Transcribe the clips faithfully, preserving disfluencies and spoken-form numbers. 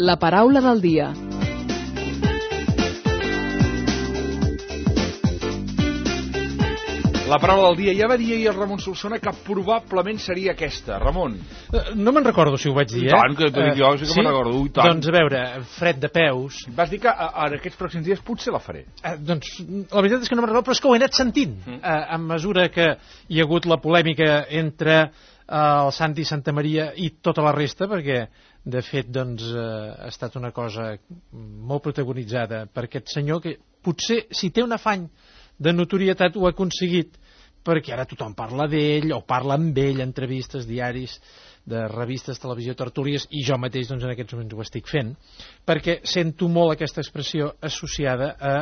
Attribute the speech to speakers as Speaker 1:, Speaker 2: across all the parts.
Speaker 1: La paraula del dia.
Speaker 2: La paraula del dia. Ja va dir ahir el Ramon Solsona que probablement seria aquesta. Ramon.
Speaker 3: No me'n recordo si ho vaig dir, eh?
Speaker 2: I tant, que t'ho dic jo, sí que me'n recordo. I tant.
Speaker 3: Doncs a veure, fred de peus.
Speaker 2: Vas dir que en aquests pròxims dies potser la faré.
Speaker 3: Eh, doncs la veritat és que no me'n recordo, però és que ho he anat sentint. Mm. Eh, a mesura que hi ha hagut la polèmica entre eh, el Santi Santamaria i tota la resta, perquè de fet doncs, eh, ha estat una cosa molt protagonitzada per aquest senyor que potser, si té un afany de notorietat, ho ha aconseguit perquè ara tothom parla d'ell o parla amb ell, entrevistes, diaris de revistes, televisió, tertúlies, i jo mateix doncs, en aquests moments ho estic fent, perquè sento molt aquesta expressió associada a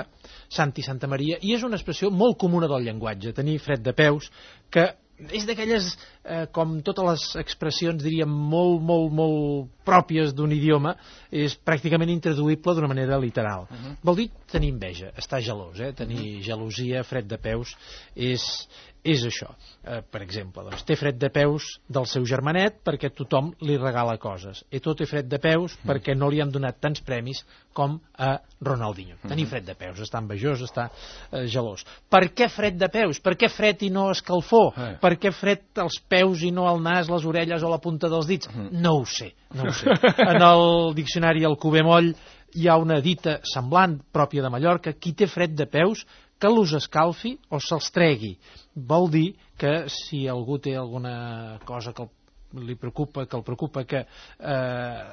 Speaker 3: Santi Santamaria, i és una expressió molt comuna del llenguatge, tenir fred de peus, que és d'aquelles, eh, com totes les expressions, diríem, molt, molt, molt pròpies d'un idioma, és pràcticament intraduïble d'una manera literal. Uh -huh. Vol dir tenir enveja, estar gelós, eh? tenir uh -huh. gelosia, fred de peus, és, és això. Eh, per exemple, doncs, té fred de peus del seu germanet perquè tothom li regala coses. Eto'o té fred de peus uh -huh. perquè no li han donat tants premis com a Ronaldinho. Uh -huh. Tenir fred de peus, està envejós, està eh, gelós. Per què fred de peus? Per què fred i no escalfor? Uh -huh. Per què fred als peus i no al nas, les orelles o la punta dels dits? Uh -huh. No ho sé, no ho sé. En el diccionari Alcover Moll hi ha una dita semblant, pròpia de Mallorca: qui té fred de peus, que l'us escalfi o se'ls tregui. Vol dir que si algú té alguna cosa que li preocupa, que el preocupa, que eh,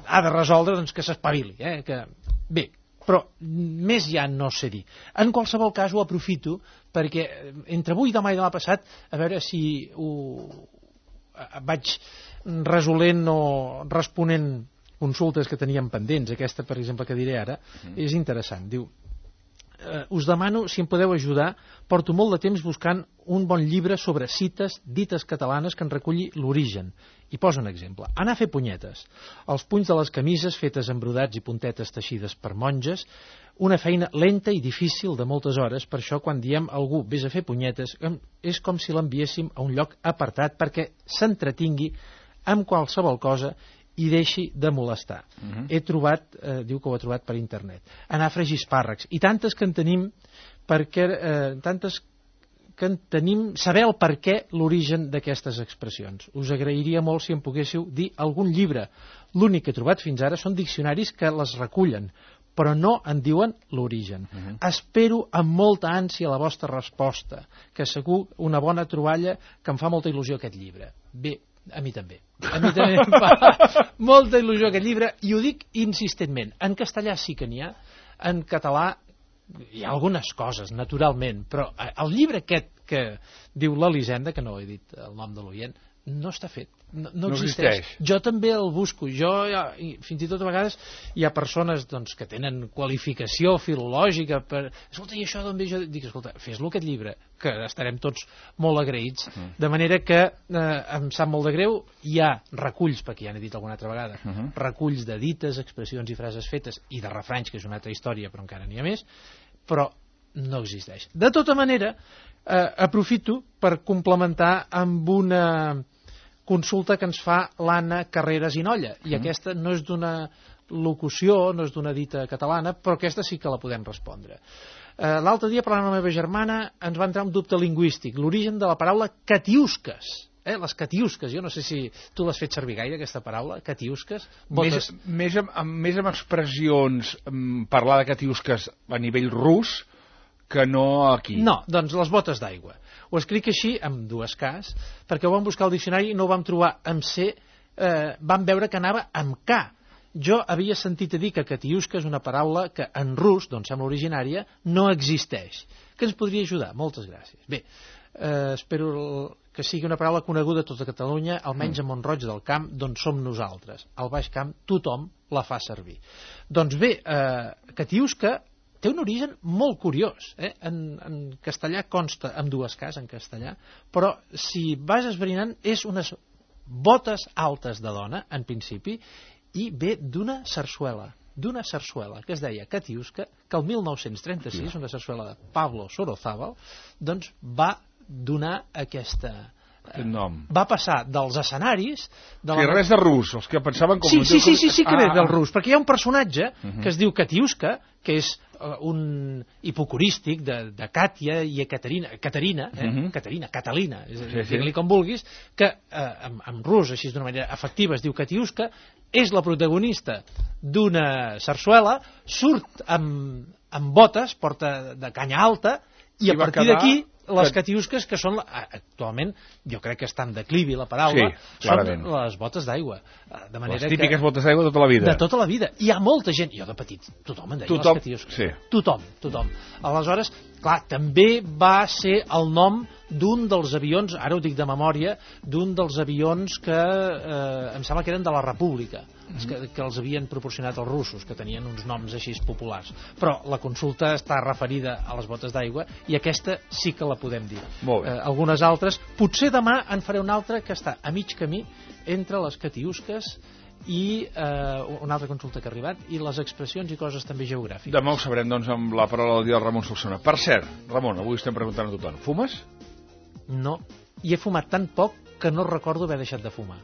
Speaker 3: ha de resoldre, doncs que s'espavili. Eh? Que... Bé, però més ja no sé dir. En qualsevol cas ho aprofito perquè entre avui, demà i demà passat, a veure si ho vaig resolent o responent consultes que teníem pendents. Aquesta, per exemple, que diré ara, mm. és interessant. Diu: Uh, us demano si em podeu ajudar, porto molt de temps buscant un bon llibre sobre cites dites catalanes que en reculli l'origen. I posa un exemple: anar a fer punyetes, els punys de les camises fetes amb brodats i puntetes teixides per monges, una feina lenta i difícil de moltes hores. Per això quan diem a algú vés a fer punyetes, és com si l'enviéssim a un lloc apartat perquè s'entretingui amb qualsevol cosa i deixi de molestar. Uh -huh. He trobat, eh, diu que ho ha trobat per internet, anar a fregir espàrrecs, i tantes que en tenim, perquè, eh, tantes que en tenim, saber el per què, l'origen d'aquestes expressions. Us agrairia molt si em poguéssiu dir algun llibre. L'únic que he trobat fins ara són diccionaris que les recullen, però no en diuen l'origen. Uh -huh. Espero amb molta ànsia la vostra resposta, que segur una bona troballa, que em fa molta il·lusió aquest llibre. Bé, a mi també. A mi també em fa molta il·lusió aquest llibre, i ho dic insistentment. En castellà sí que n'hi ha, en català hi ha algunes coses, naturalment, però el llibre aquest que diu l'Elisenda, que no he dit el nom de l'oient, no està fet, no, no, no existeix. existeix. Jo també el busco, jo i fins i tot a vegades hi ha persones doncs, que tenen qualificació filològica per... Escolta, i això d'on ve? Jo dic, escolta, fes-lo aquest llibre, que estarem tots molt agraïts. Uh -huh. De manera que eh, em sap molt de greu, hi ha reculls, perquè ja n'he dit alguna altra vegada, uh -huh. reculls de dites, expressions i frases fetes, i de refranys, que és una altra història, però encara n'hi ha més, però no existeix. De tota manera, eh, aprofito per complementar amb una consulta que ens fa l'Anna Carreras i Nolla, i mm. aquesta no és d'una locució, no és d'una dita catalana, però aquesta sí que la podem respondre. Eh, L'altre dia, parlant amb la meva germana, ens va entrar un dubte lingüístic, l'origen de la paraula catiusques. Eh, les catiusques, jo no sé si tu l'has fet servir gaire, aquesta paraula, catiusques.
Speaker 2: Més, més, amb, amb, més amb expressions, amb parlar de catiusques a nivell rus, que no aquí.
Speaker 3: No, doncs les botes d'aigua. Ho escric així, amb dues Ks, perquè ho vam buscar al diccionari i no ho vam trobar amb C, eh, vam veure que anava amb K. Jo havia sentit a dir que catiusca és una paraula que en rus, doncs sembla originària, no existeix. Que ens podria ajudar? Moltes gràcies. Bé, eh, espero que sigui una paraula coneguda a tota Catalunya, almenys a Mont-roig del Camp, d'on som nosaltres. Al Baix Camp tothom la fa servir. Doncs bé, eh, catiusca té un origen molt curiós. Eh? En, en castellà consta amb dues Ks, en castellà, però si vas esbrinant és unes botes altes de dona, en principi, i ve d'una sarsuela, d'una sarsuela que es deia Catiusca, que el mil nou-cents trenta-sis, una sarsuela de Pablo Sorozábal, doncs va donar aquesta,
Speaker 2: nom.
Speaker 3: va passar dels escenaris... De
Speaker 2: sí,
Speaker 3: la...
Speaker 2: res de rus, els que pensaven com...
Speaker 3: Sí, sí, sí, sí, sí que
Speaker 2: ah,
Speaker 3: ve del
Speaker 2: ah.
Speaker 3: rus, perquè hi ha un personatge uh
Speaker 2: Uh-huh.
Speaker 3: que es diu Katiuska, que és uh, un hipocorístic de, de Càtia i Caterina, Caterina, eh?
Speaker 2: Uh-huh.
Speaker 3: Caterina, Catalina, és,
Speaker 2: Sí, sí.
Speaker 3: digue-li com vulguis, que uh, en, en rus, així d'una manera efectiva, es diu Katiuska, és la protagonista d'una sarsuela, surt amb, amb botes, porta de canya alta, i
Speaker 2: I
Speaker 3: a
Speaker 2: va
Speaker 3: partir
Speaker 2: quedar
Speaker 3: d'aquí les
Speaker 2: que-
Speaker 3: catiusques, que són, actualment, jo crec que està en declivi la paraula,
Speaker 2: Sí,
Speaker 3: són
Speaker 2: clarament.
Speaker 3: les botes d'aigua. De manera
Speaker 2: Les típiques
Speaker 3: que,
Speaker 2: botes d'aigua de tota la vida.
Speaker 3: de tota la vida. Hi ha molta gent, jo de petit, tothom en deia
Speaker 2: Tothom,
Speaker 3: les catiusques.
Speaker 2: sí.
Speaker 3: Tothom, tothom. Aleshores, clar, també va ser el nom d'un dels avions, ara ho dic de memòria, d'un dels avions que eh, em sembla que eren de la República, mm-hmm. que, que els havien proporcionat els russos, que tenien uns noms així populars. Però la consulta està referida a les botes d'aigua i aquesta sí que la podem dir.
Speaker 2: Molt bé.
Speaker 3: Eh, algunes altres, potser demà en faré una altra que està a mig camí entre les catiusques i eh, una altra consulta que ha arribat i les expressions i coses també geogràfiques.
Speaker 2: Demà ho sabrem, doncs, amb la paraula del dia del Ramon Solsona. Per cert, Ramon, avui estem preguntant a tothom. Fumes?
Speaker 3: No, i he fumat tan poc que no recordo haver deixat de fumar.